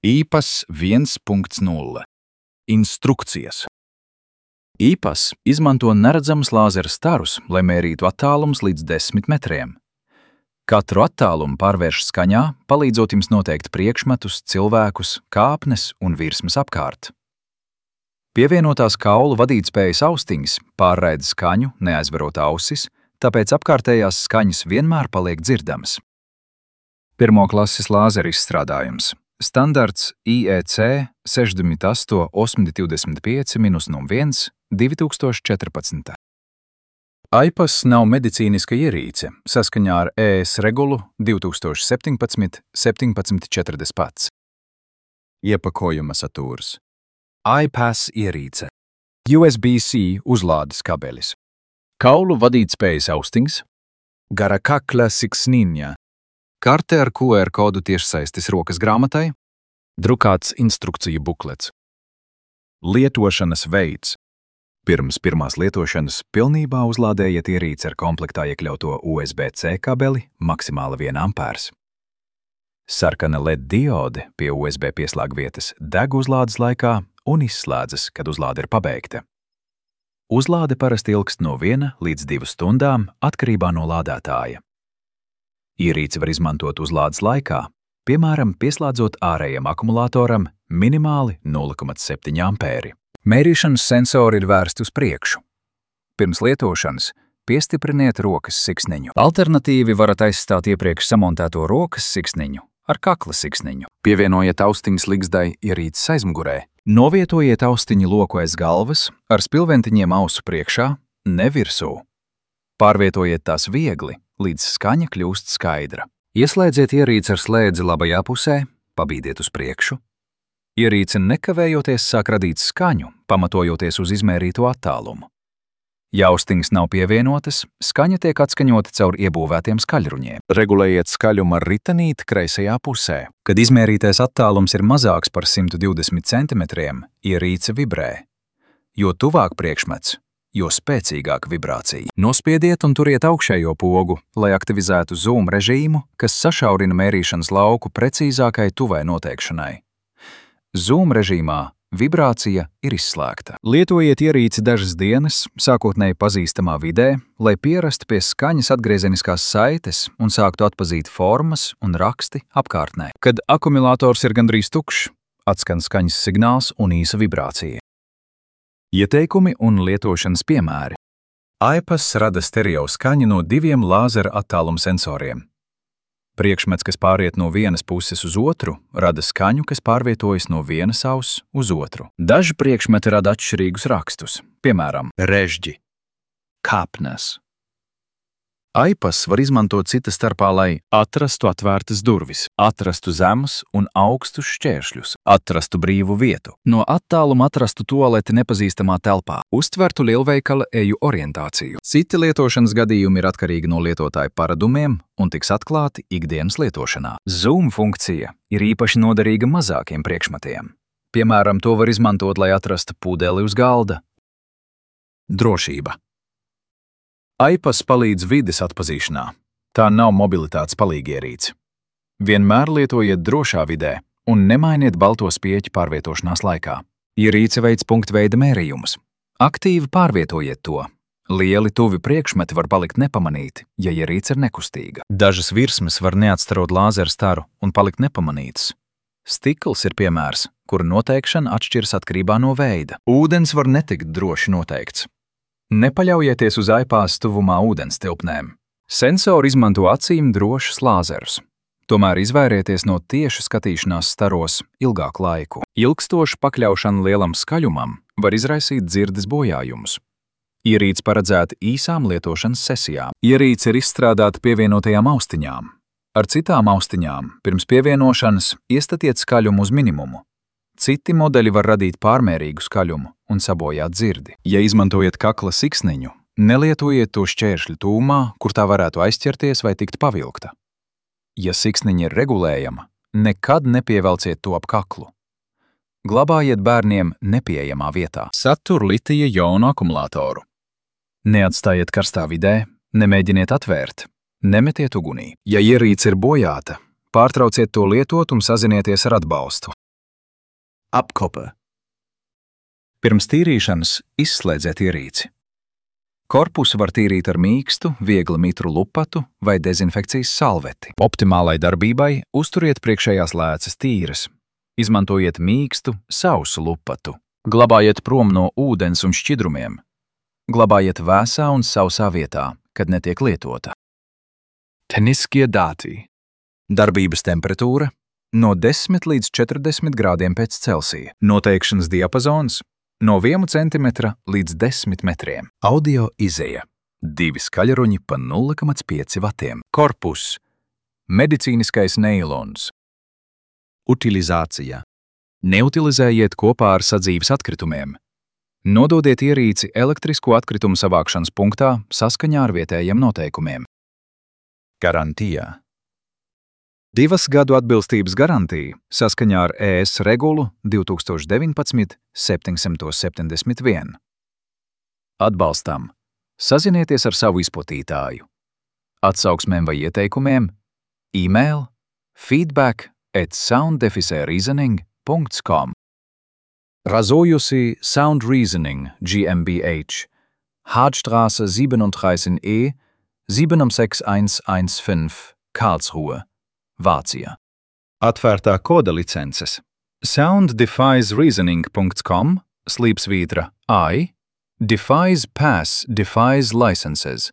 IPAS 1.0 Instrukcijas. IPAS izmanto neredzamus lāzera starus, lai mērītu attālumus līdz 10 metriem. Katru attālumu pārvērš skaņā, palīdzot jums noteikt priekšmetus, cilvēkus, kāpnes un virsmas apkārt. Pievienotās kaulu vadītspējas austiņas pārraida skaņu, neaizverot ausis, tāpēc apkārtējās skaņas vienmēr paliek dzirdamas. Pirmoklases lāzera izstrādājums. Standarts IEC 68-825-01 2014. IPAS nav medicīniska ierīce saskaņā ar ES regulu 2017-1740. Iepakojuma saturs. IPAS ierīce. USB-C uzlādes kabelis. Kaulu vadītspējas austiņas. Gara kakla siksniņa. Karte ar QR kodu tiešsaistes rokas grāmatai. Drukāts instrukciju buklets. Lietošanas veids. Pirms pirmās lietošanas pilnībā uzlādējiet ierīci ar komplektā iekļauto USB-C kabeli maksimāli 1 ampērs. Sarkana LED diode pie USB pieslēgvietas deg uzlādes laikā un izslēdzas, kad uzlāde ir pabeigta. Uzlāde parasti ilgst no 1 līdz 2 stundām atkarībā no lādētāja. Ierīci var izmantot uzlādes laikā, piemēram, pieslēdzot ārējam akumulātoram minimāli 0,7 ampēri. Mērīšanas sensori ir vērsti uz priekšu. Pirms lietošanas piestipriniet rokas siksniņu. Alternatīvi varat aizstāt iepriekš samontēto rokas siksniņu ar kakla siksniņu. Pievienojiet austiņas ligzdai ierīces aizmugurē. Novietojiet austiņu loku aiz galvas ar spilventiņiem ausu priekšā, ne virsū. Pārvietojiet tās viegli, līdz skaņa kļūst skaidra. Ieslēdziet ierīci ar slēdzi labajā pusē, pabīdiet uz priekšu. Ierīce nekavējoties sāk radīt skaņu, pamatojoties uz izmērīto attālumu. Ja austiņas nav pievienotas, skaņa tiek atskaņota caur iebūvētiem skaļruņiem. Regulējiet skaļumu ar ritenīti kreisajā pusē. Kad izmērītais attālums ir mazāks par 120 centimetriem, ierīce vibrē. Jo tuvāk priekšmets, jo spēcīgāka vibrācija. Nospiediet un turiet augšējo pogu, lai aktivizētu zoom režīmu, kas sašaurina mērīšanas lauku precīzākai tuvai noteikšanai. Zoom režīmā vibrācija ir izslēgta. Lietojiet ierīci dažas dienas, sākotnēji pazīstamā vidē, lai pierastu pie skaņas atgriezeniskās saites un sāktu atpazīt formas un raksti apkārtnē. Kad akumulators ir gandrīz tukšs, atskan skaņas signāls un īsa vibrācija. Ieteikumi un lietošanas piemēri. IPAS rada stereo skaņu no 2 lāzera attāluma sensoriem. Priekšmets, kas pāriet no vienas puses uz otru, rada skaņu, kas pārvietojas no vienas auss uz otru. Daži priekšmeti rada atšķirīgus rakstus, piemēram, režģi, kāpnes. IPAS var izmantot cita starpā, lai atrastu atvērtas durvis, atrastu zemus un augstus šķēršļus, atrastu brīvu vietu, no attāluma atrastu tualeti nepazīstamā telpā, uztvertu lielveikala eju orientāciju. Citi lietošanas gadījumi ir atkarīgi no lietotāja paradumiem un tiks atklāti ikdienas lietošanā. Zoom funkcija ir īpaši noderīga mazākiem priekšmetiem. Piemēram, to var izmantot, lai atrastu pudeli uz galda. Drošība. IPAS palīdz vides atpazīšanā. Tā nav mobilitātes palīgierīce. Vienmēr lietojiet drošā vidē un nemainiet balto spieķu pārvietošanās laikā. Ierīce veids punktveida mērījumus. Aktīvi pārvietojiet to. Lieli tuvi priekšmeti var palikt nepamanīti, ja ierīce ir nekustīga. Dažas virsmas var neatstarot lāzera staru un palikt nepamanītas. Stikls ir piemērs, kura noteikšana atšķiras atkarībā no veida. Ūdens var netikt droši noteikts. Nepaļaujieties uz IPAS tuvumā ūdens tilpnēm. Sensori izmanto acīm drošus lāzerus. Tomēr izvairieties no tieši skatīšanās staros ilgāku laiku. Ilgstoša pakļaušana lielam skaļumam var izraisīt dzirdes bojājumus. Ierīce paredzēta īsām lietošanas sesijām. Ierīce ir izstrādāta pievienotajām austiņām. Ar citām austiņām pirms pievienošanas iestatiet skaļumu uz minimumu. Citi modeļi var radīt pārmērīgu skaļumu un sabojāt dzirdi. Ja izmantojat kakla siksniņu, nelietojiet to šķēršļu tūmā, kur tā varētu aizķerties vai tikt pavilkta. Ja siksniņa ir regulējama, nekad nepievelciet to ap kaklu. Glabājiet bērniem nepieejamā vietā. Satur litija jonu akumulātoru. Neatstājiet karstā vidē, nemēģiniet atvērt, nemetiet ugunī. Ja ierīce ir bojāta, pārtrauciet to lietot un sazinieties ar atbalstu. Apkope. Pirms tīrīšanas izslēdziet ierīci. Korpusu var tīrīt ar mīkstu, viegli mitru lupatu vai dezinfekcijas salveti. Optimālai darbībai uzturiet priekšējās lēcas tīras. Izmantojiet mīkstu, sausu lupatu. Glabājiet prom no ūdens un šķidrumiem. Glabājiet vēsā un sausā vietā, kad netiek lietota. Tehniskie dati. Darbības temperatūra no 10 līdz 40 grādiem pēc Celsija. Noteikšanas diapazons no 1 cm līdz 10 metriem. Audio izeja. 2 skaļruņi pa 0,5 vatiem. Korpus. Medicīniskais neilons. Utilizācija. Neutilizējiet kopā ar sadzīves atkritumiem. Nododiet ierīci elektrisko atkritumu savākšanas punktā saskaņā ar vietējiem noteikumiem. Garantija. 2 gadu atbilstības garantija saskaņā ar ES regulu 2019/771. Atbalstam. Sazinieties ar savu izplatītāju. Atsauksmēm vai ieteikumiem e-mail feedback@sound-reasoning.com. Razojusi Sound Reasoning GmbH. Hartstraße 37E 76115 Karlsruhe, Vācija. Atvērtā koda licences. sound-reasoning.com /I defies pass defies licenses.